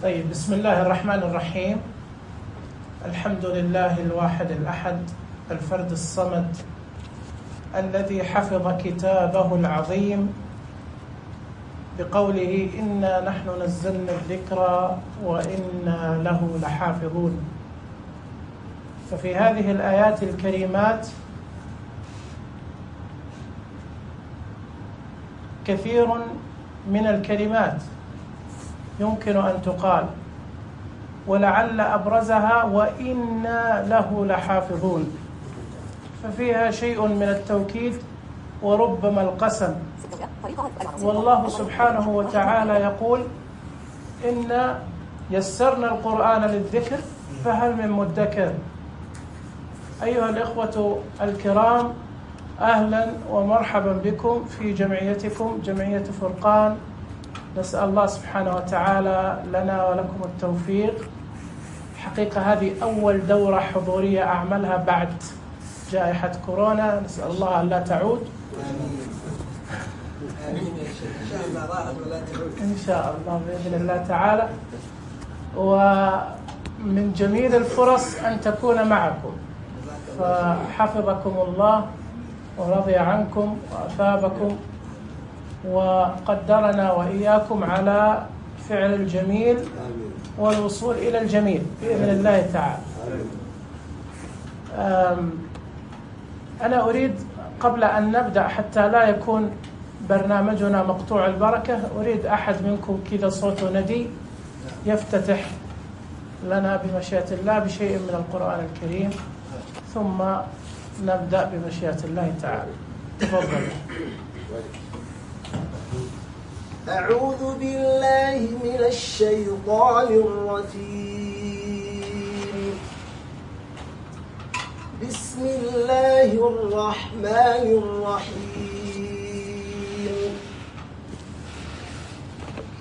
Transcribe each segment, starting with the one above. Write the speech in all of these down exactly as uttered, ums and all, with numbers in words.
طيب، بسم الله الرحمن الرحيم. الحمد لله الواحد الأحد الفرد الصمد الذي حفظ كتابه العظيم بقوله إنا نحن نزلنا الذكر وإنا له لحافظون. ففي هذه الآيات الكريمات كثير من الكلمات يمكن أن تقال، ولعل أبرزها وإنا له لحافظون، ففيها شيء من التوكيد وربما القسم. والله سبحانه وتعالى يقول إنا يسرنا القرآن للذكر فهل من مدكر. أيها الإخوة الكرام، أهلا ومرحبا بكم في جمعيتكم جمعية فرقان. نسأل الله سبحانه وتعالى لنا ولكم التوفيق. حقيقة هذه أول دورة حضورية أعملها بعد جائحة كورونا، نسأل الله أن لا تعود. إن شاء الله بإذن الله تعالى. ومن جميل الفرص أن تكون معكم، فحفظكم الله ورضي عنكم وأثابكم وقدرنا وإياكم على فعل الجميل والوصول إلى الجميل بإذن الله تعالى. أنا أريد قبل أن نبدأ حتى لا يكون برنامجنا مقطوع البركة، أريد أحد منكم كذا صوته ندي يفتتح لنا بمشيئة الله بشيء من القرآن الكريم، ثم نبدأ بمشيئة الله تعالى. تفضل. أعوذ بالله من الشيطان الرجيم. بسم الله الرحمن الرحيم.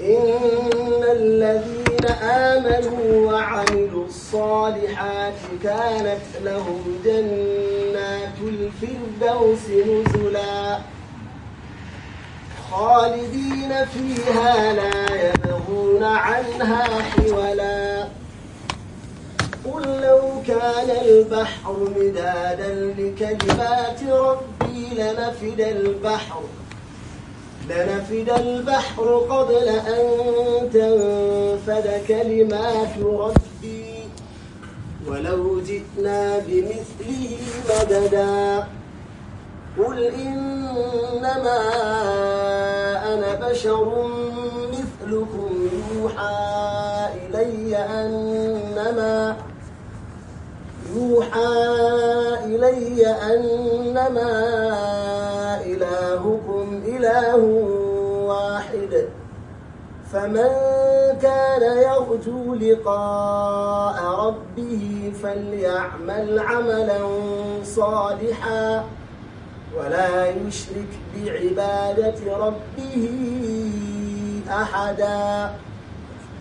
إن الذين آمنوا وعملوا الصالحات كانت لهم جنات الفردوس نزلا خالدين فيها لا يبغون عنها حولا. قل لو كان البحر مدادا لكلمات ربي لنفد البحر لنفد البحر قبل أن تنفد كلمات ربي ولو جئنا بمثله مددا. قل إنما أنا بشر مثلكم يوحى إلي أنما يوحى إلي أنما إلهكم إله واحد. فمن كان يرجو لقاء ربه فليعمل عملا صالحا ولا يشرك بعبادة ربه أحدا.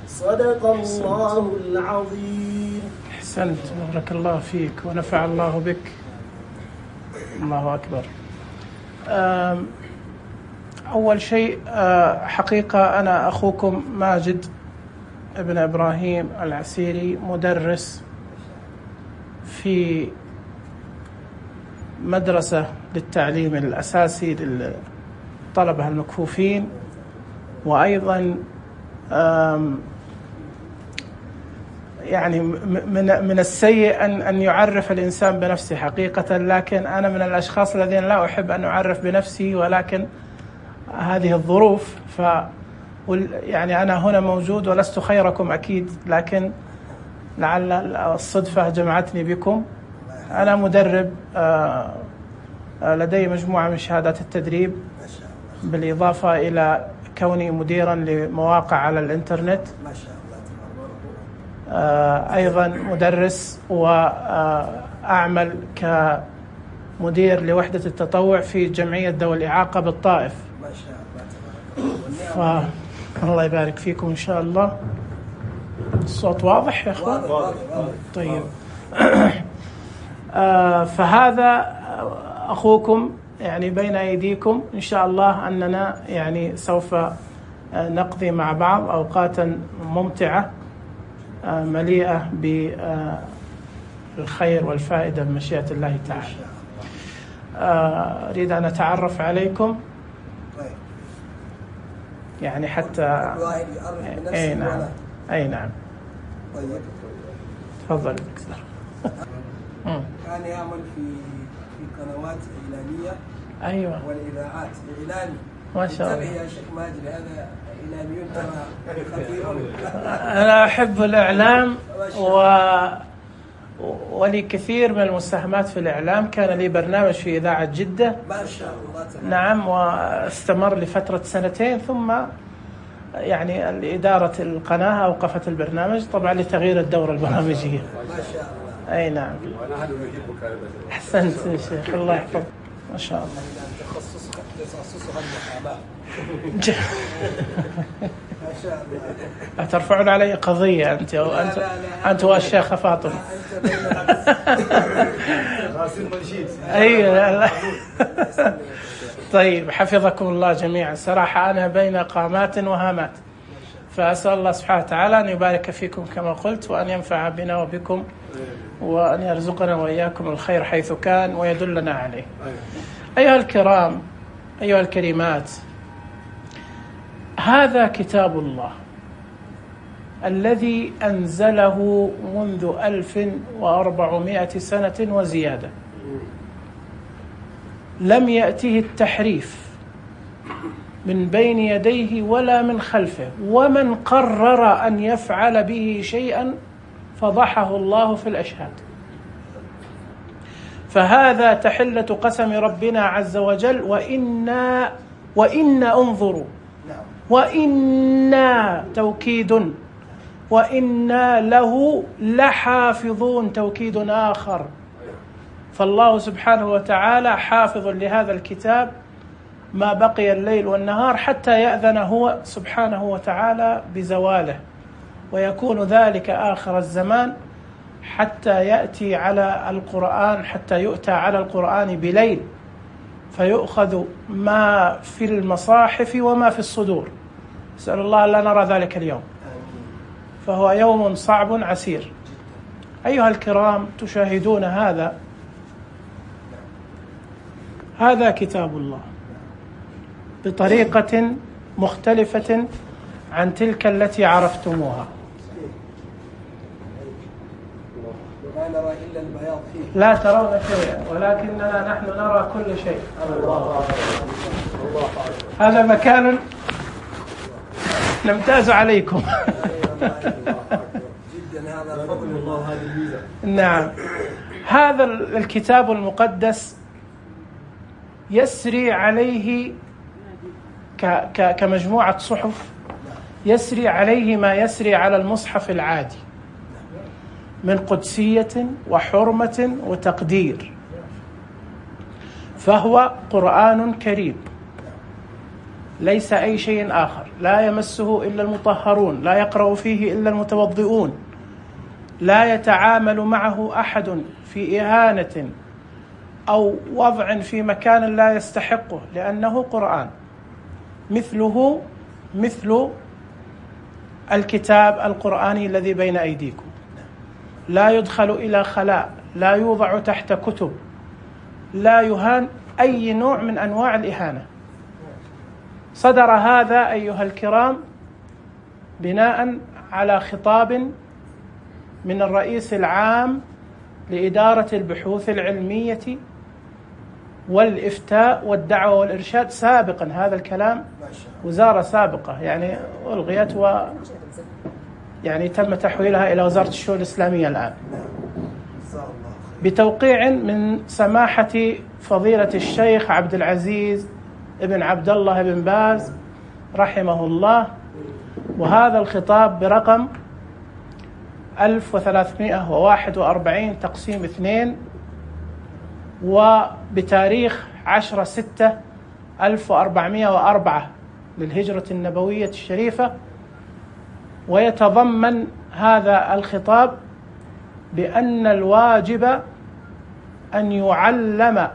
صدق الله العظيم. أحسنت، بارك الله فيك ونفع الله بك. الله أكبر. أول شيء حقيقة أنا أخوكم ماجد ابن إبراهيم العسيري، مدرس في مدرسة للتعليم الأساسي للطلبة المكفوفين، وأيضا يعني من من السيء أن أن يعرف الإنسان بنفسه حقيقة، لكن أنا من الأشخاص الذين لا أحب أن أعرف بنفسي، ولكن هذه الظروف. ف يعني أنا هنا موجود ولست خيركم أكيد، لكن لعل الصدفة جمعتني بكم. أنا مدرب، لدي مجموعة من شهادات التدريب، بالإضافة إلى كوني مديرا لمواقع على الإنترنت. أيضا مدرس، وأعمل كمدير لوحدة التطوع في جمعية ذوي الإعاقة بالطائف. الله يبارك فيكم إن شاء الله. الصوت واضح يا أخوان؟ طيب. فهذا أخوكم يعني بين أيديكم، إن شاء الله أننا يعني سوف نقضي مع بعض أوقاتا ممتعة مليئة بالخير والفائدة بمشيئة الله تعالى. أريد أن أتعرف عليكم يعني حتى أي نعم أي نعم تفضل. كان يعمل في في قنوات إعلامية أيوة والإذاعات إعلامي. ما شاء الله. يا شيخ ماجد هذا إعلاميون ترى خطيرون. أنا أحب الإعلام و ولي كثير من المساهمات في الإعلام. كان لي برنامج في إذاعة جدة ما شاء الله. نعم، واستمر لفترة سنتين، ثم يعني إدارة القناة أوقفت البرنامج طبعا لتغيير الدورة البرامجية. ما شاء الله. أي نعم. أحسنت يا شيخ، الله يحفظك. ما شاء الله. تخصصها المحاماة. ما شاء الله. ترفعون علي قضية أنت أو أنت لا لا لا أنت والشيخ فاطمة. أنت بين أي طيب، حفظكم الله جميعا. صراحة أنا بين قامات وهامات، فأسأل الله سبحانه وتعالى أن يبارك فيكم كما قلت، وأن ينفع بنا وبكم، وأن يرزقنا وإياكم الخير حيث كان ويدلنا عليه. أيها الكرام، أيها الكريمات، هذا كتاب الله الذي أنزله منذ ألف وأربعمائة سنة وزيادة، لم يأته التحريف من بين يديه ولا من خلفه، ومن قرر أن يفعل به شيئا فضحه الله في الأشهاد. فهذا تحلة قسم ربنا عز وجل: وإنا وإنا انظروا، وإنا توكيد، وإنا له لحافظون توكيد آخر. فالله سبحانه وتعالى حافظ لهذا الكتاب ما بقي الليل والنهار حتى يأذن هو سبحانه وتعالى بزواله، ويكون ذلك آخر الزمان، حتى يأتي على القرآن حتى يؤتى على القرآن بليل فيؤخذ ما في المصاحف وما في الصدور. أسأل الله لا نرى ذلك اليوم، فهو يوم صعب عسير. أيها الكرام، تشاهدون هذا هذا كتاب الله بطريقة مختلفة عن تلك التي عرفتموها. لا نرى إلا البياض فيه. لا ترون شيئا، ولكننا نحن نرى كل شيء. هذا مكان نمتاز عليكم. جدا، هذا فضل الله وهذه الميزة. نعم، هذا الكتاب المقدس يسري عليه كمجموعة صحف، يسري عليه ما يسري على المصحف العادي من قدسية وحرمة وتقدير. فهو قرآن كريم ليس أي شيء آخر، لا يمسه إلا المطهرون، لا يقرأ فيه إلا المتوضئون، لا يتعامل معه أحد في إهانة أو وضع في مكان لا يستحقه، لأنه قرآن مثله مثل الكتاب القرآني الذي بين أيديكم. لا يدخل إلى خلاء، لا يوضع تحت كتب، لا يهان أي نوع من أنواع الإهانة. صدر هذا أيها الكرام بناء على خطاب من الرئيس العام لإدارة البحوث العلمية والإفتاء والدعوة والإرشاد سابقا. هذا الكلام وزارة سابقة يعني ألغيت و يعني تم تحويلها إلى وزارة الشؤون الإسلامية الآن، بتوقيع من سماحة فضيلة الشيخ عبد العزيز ابن عبد الله بن باز رحمه الله. وهذا الخطاب برقم ألف وثلاثمائة وواحد وأربعين تقسيم اثنين، وبتاريخ عشرة ستة ألف وأربعمائة وأربعة للهجرة النبوية الشريفة. ويتضمن هذا الخطاب بأن الواجب أن يعلم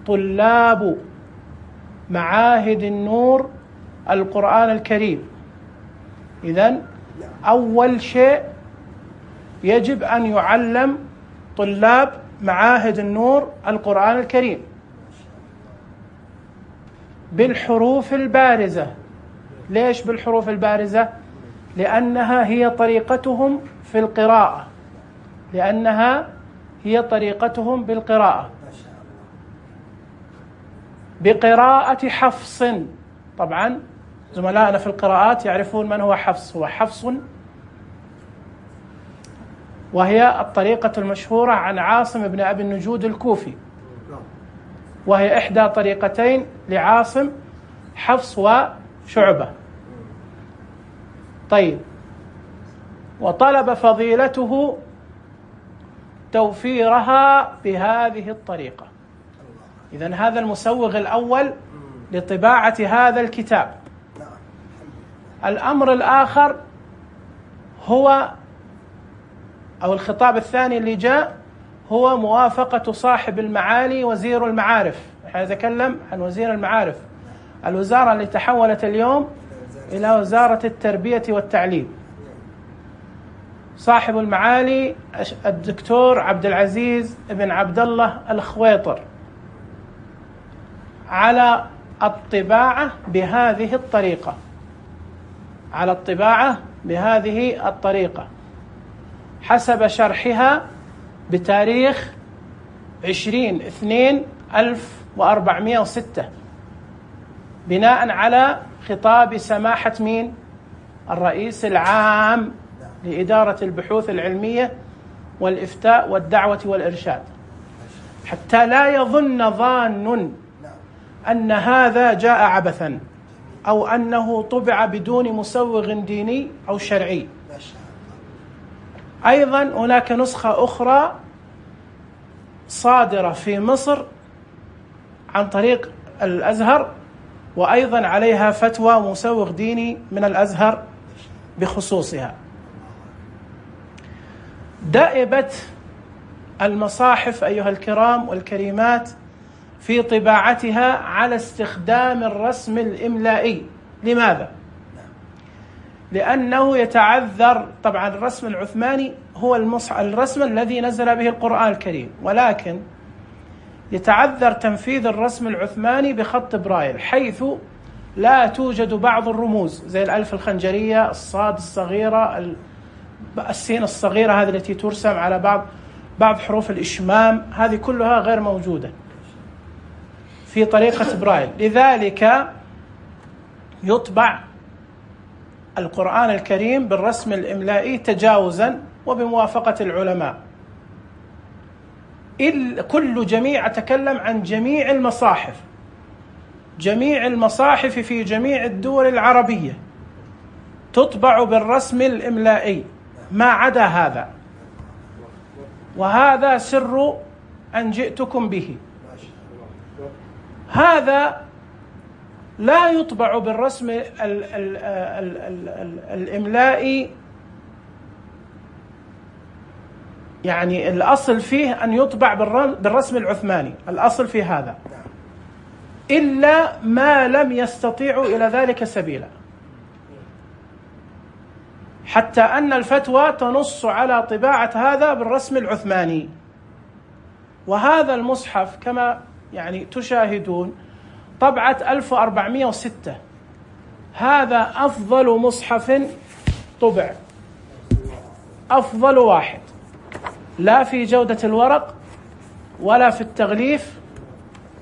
طلاب معاهد النور القرآن الكريم. إذن أول شيء يجب أن يعلم طلاب معاهد النور القرآن الكريم بالحروف البارزة. ليش بالحروف البارزة؟ لأنها هي طريقتهم في القراءة، لأنها هي طريقتهم بالقراءة بقراءة حفص. طبعا زملائنا في القراءات يعرفون من هو حفص. هو حفص، وهي الطريقة المشهورة عن عاصم بن أبي النجود الكوفي، وهي إحدى طريقتين لعاصم، حفص وشعبة. طيب، وطلب فضيلته توفيرها بهذه الطريقة. إذن هذا المسوغ الأول لطباعة هذا الكتاب. الأمر الآخر هو أو الخطاب الثاني اللي جاء هو موافقة صاحب المعالي وزير المعارف. نتكلم عن وزير المعارف، الوزارة اللي تحولت اليوم إلى وزارة التربية والتعليم. صاحب المعالي الدكتور عبد العزيز بن عبد الله الخويطر على الطباعة بهذه الطريقة، على الطباعة بهذه الطريقة حسب شرحها بتاريخ عشرين اثنين ألف وأربعمائة وستة، بناء على خطاب سماحة مين؟ الرئيس العام لإدارة البحوث العلمية والإفتاء والدعوة والإرشاد، حتى لا يظن ظان أن هذا جاء عبثا أو أنه طبع بدون مسوغ ديني أو شرعي. أيضا هناك نسخة أخرى صادرة في مصر عن طريق الأزهر، وأيضا عليها فتوى مسوغ ديني من الأزهر بخصوصها. دأبت المصاحف أيها الكرام والكريمات في طباعتها على استخدام الرسم الإملائي. لماذا؟ لأنه يتعذر. طبعا الرسم العثماني هو المصحف الرسم الذي نزل به القرآن الكريم، ولكن يتعذر تنفيذ الرسم العثماني بخط برايل، حيث لا توجد بعض الرموز زي الألف الخنجرية، الصاد الصغيرة، السين الصغيرة هذه التي ترسم على بعض بعض حروف الإشمام، هذه كلها غير موجودة في طريقة برايل. لذلك يطبع القرآن الكريم بالرسم الإملائي تجاوزا وبموافقة العلماء. كل جميع أتكلم عن جميع المصاحف، جميع المصاحف في جميع الدول العربية تطبع بالرسم الإملائي ما عدا هذا، وهذا سر أن جئتكم به. هذا لا يطبع بالرسم ال ال ال ال ال الإملائي، يعني الأصل فيه أن يطبع بالرسم العثماني، الأصل في هذا، إلا ما لم يستطيعوا إلى ذلك سبيلا، حتى أن الفتوى تنص على طباعة هذا بالرسم العثماني. وهذا المصحف كما يعني تشاهدون طبعة ألف وأربعمائة وستة، هذا أفضل مصحف طبع، أفضل واحد، لا في جودة الورق ولا في التغليف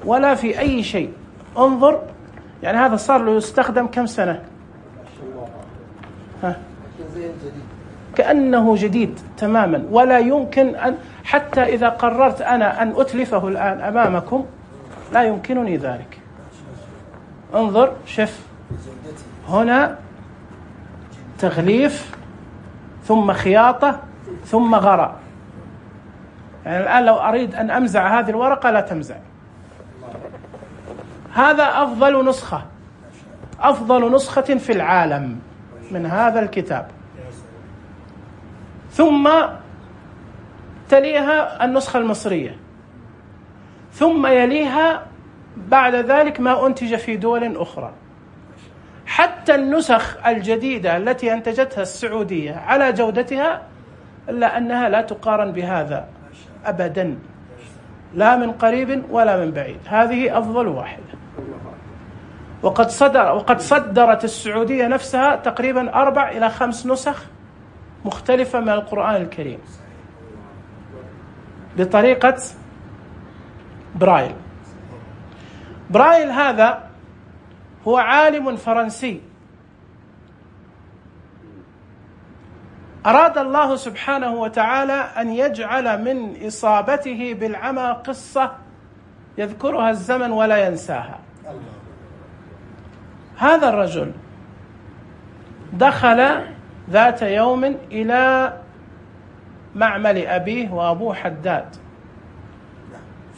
ولا في أي شيء. انظر، يعني هذا صار له يستخدم كم سنة؟ ها. كأنه جديد تماما، ولا يمكن أن حتى إذا قررت أنا أن أتلفه الآن أمامكم لا يمكنني ذلك. انظر، شف هنا تغليف ثم خياطة ثم غراء. يعني الآن لو أريد أن أمزع هذه الورقة لا تمزع. هذا أفضل نسخة، أفضل نسخة في العالم من هذا الكتاب. ثم تليها النسخة المصرية، ثم يليها بعد ذلك ما أنتج في دول أخرى. حتى النسخ الجديدة التي أنتجتها السعودية على جودتها إلا أنها لا تقارن بهذا أبدا، لا من قريب ولا من بعيد، هذه أفضل واحدة. وقد صدر وقد صدرت السعودية نفسها تقريبا أربع إلى خمس نسخ مختلفة من القرآن الكريم بطريقة برايل. برايل هذا هو عالم فرنسي أراد الله سبحانه وتعالى أن يجعل من إصابته بالعمى قصة يذكرها الزمن ولا ينساها. هذا الرجل دخل ذات يوم إلى معمل أبيه وأبوه حداد،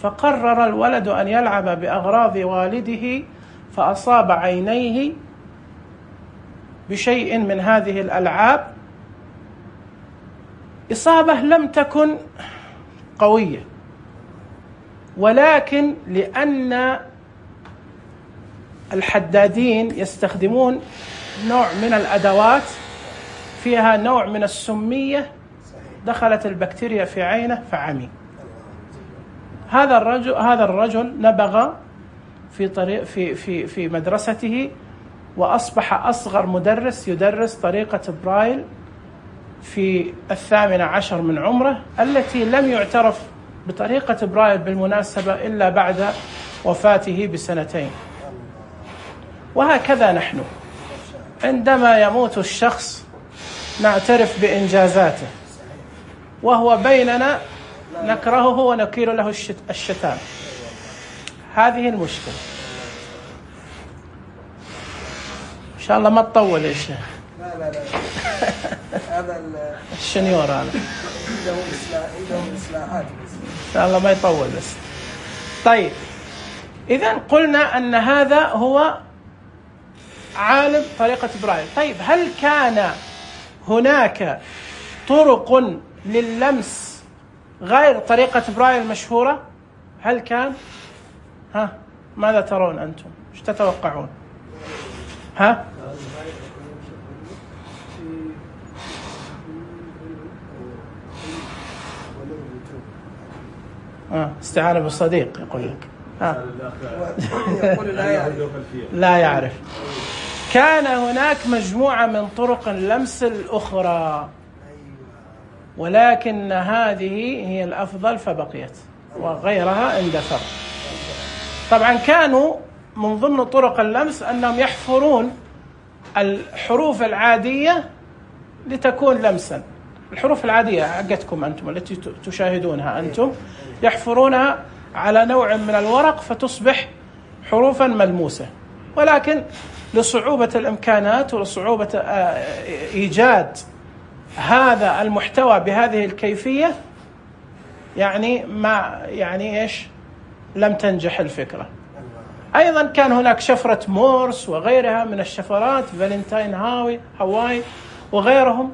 فقرر الولد أن يلعب بأغراض والده، فأصاب عينيه بشيء من هذه الألعاب، إصابة لم تكن قوية، ولكن لأن الحدادين يستخدمون نوع من الأدوات فيها نوع من السمية، دخلت البكتيريا في عينه فعمي. هذا الرجل هذا الرجل نبغ في طريق في في في مدرسته، وأصبح أصغر مدرس يدرس طريقة برايل في الثامن عشر من عمره، التي لم يعترف بطريقة برايل بالمناسبة إلا بعد وفاته بسنتين. وهكذا نحن عندما يموت الشخص نعترف بإنجازاته، وهو بيننا نكرهه ونكيل له الشتام. هذه المشكلة. إن شاء الله ما تطول يا شيخ. لا لا لا هذا الشنيور أنا عندهم إصلاحات إن شاء الله ما يطول بس. طيب، إذن قلنا أن هذا هو عالم طريقة برايل. طيب، هل كان هناك طرق لللمس غير طريقة برايل مشهورة؟ هل كان؟ ها، ماذا ترون أنتم؟ ايش تتوقعون؟ ها؟ آه. استعانة بالصديق يقول لك. آه. لا يعرف. كان هناك مجموعة من طرق اللمس الأخرى، ولكن هذه هي الأفضل فبقيت، وغيرها اندثر. طبعا كانوا من ضمن طرق اللمس أنهم يحفرون الحروف العادية لتكون لمسا. الحروف العادية حقتكم أنتم التي تشاهدونها أنتم، يحفرونها على نوع من الورق فتصبح حروفا ملموسة، ولكن لصعوبة الإمكانات ولصعوبة إيجاد هذا المحتوى بهذه الكيفية، يعني ما يعني إيش لم تنجح الفكرة. أيضا كان هناك شفرة مورس وغيرها من الشفرات، فالنتاين هاوي هواي وغيرهم،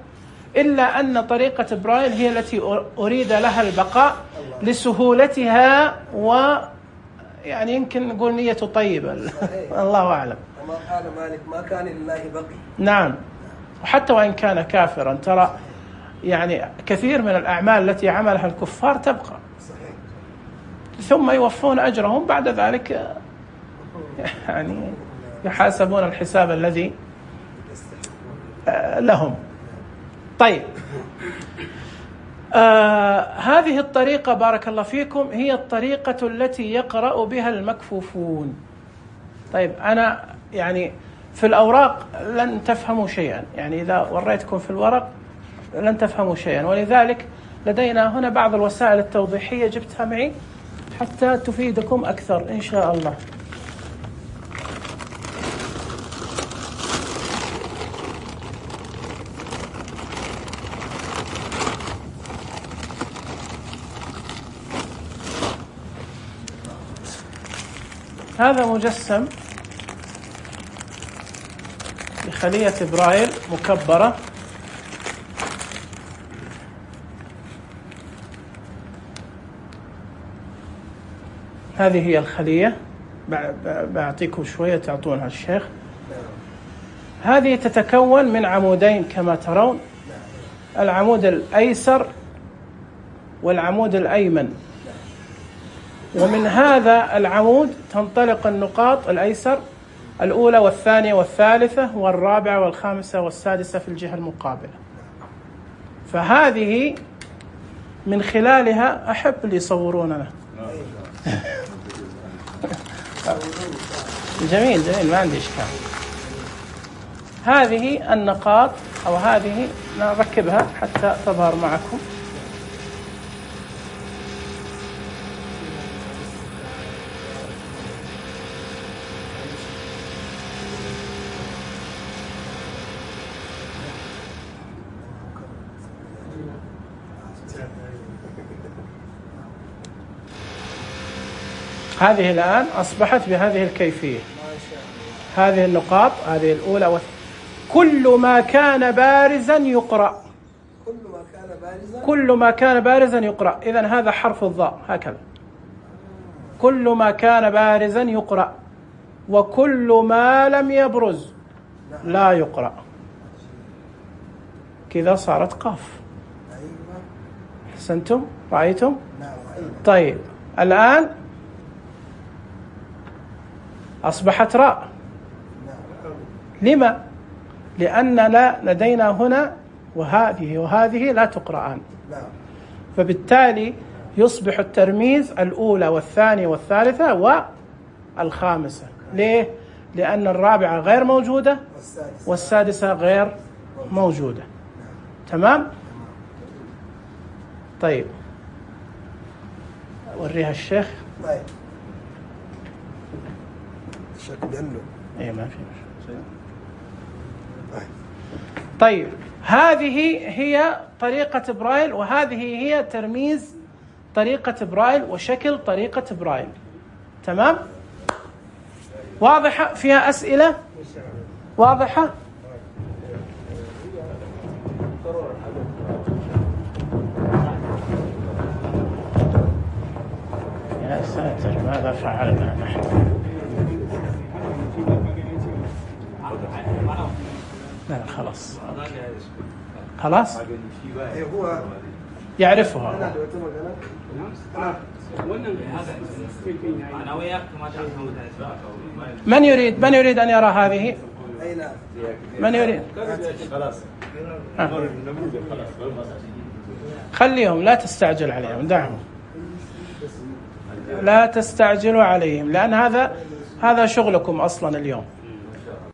إلا أن طريقة برايل هي التي أريد لها البقاء لسهولتها، ويعني يمكن نقول نية طيبة. الله أعلم. كما قال مالك ما كان لله بقي. نعم، وحتى وإن كان كافرا ترى يعني كثير من الأعمال التي عملها الكفار تبقى، ثم يوفون أجرهم بعد ذلك، يعني يحاسبون الحساب الذي لهم. طيب، آه هذه الطريقة بارك الله فيكم هي الطريقة التي يقرأ بها المكفوفون. طيب، أنا يعني في الأوراق لن تفهموا شيئا، يعني إذا وريتكم في الورق لن تفهموا شيئا، ولذلك لدينا هنا بعض الوسائل التوضيحية جبتها معي حتى تفيدكم أكثر إن شاء الله. هذا مجسم لخلية برايل مكبرة، هذه هي الخلية، بعطيكم شوية تعطونها الشيخ. هذه تتكون من عمودين كما ترون، العمود الأيسر والعمود الأيمن، ومن هذا العمود تنطلق النقاط الأيسر الأولى والثانية والثالثة والرابعة والخامسة والسادسة في الجهة المقابلة. فهذه من خلالها أحب اللي يصوروننا. جميل جميل، ما عندي إشكال. هذه النقاط أو هذه نركبها حتى تظهر معكم. هذه الآن أصبحت بهذه الكيفية. هذه النقاط، هذه الأولى والثانية، كل ما كان بارزا يقرأ. كل ما كان بارزا كل ما كان بارزا يقرأ. إذن هذا حرف الضاء هكذا، كل ما كان بارزا يقرأ، وكل ما لم يبرز لا يقرأ. كذا صارت قاف. أحسنتم؟ رأيتم؟ طيب الآن أصبحت راء. لما؟ لأننا لدينا هنا وهذه وهذه لا تقرأان، فبالتالي يصبح الترميز الأولى والثانية والثالثة والخامسة. ليه؟ لأن الرابعة غير موجودة والسادسة غير موجودة. تمام؟ طيب أوريها الشيخ. طيب شكل عنه ايه ما في شيء. طيب هذه هي طريقة برايل، وهذه هي ترميز طريقة برايل وشكل طريقة برايل. تمام؟ واضحة؟ فيها أسئلة؟ واضحة؟ يا ساتر ماذا فعلنا نحن؟ لا خلاص خلاص يعرفها. من يريد من يريد أن يرى هذه؟ من يريد؟ خليهم، لا تستعجل عليهم، دعهم، لا تستعجلوا عليهم، لأن هذا هذا شغلكم أصلا اليوم.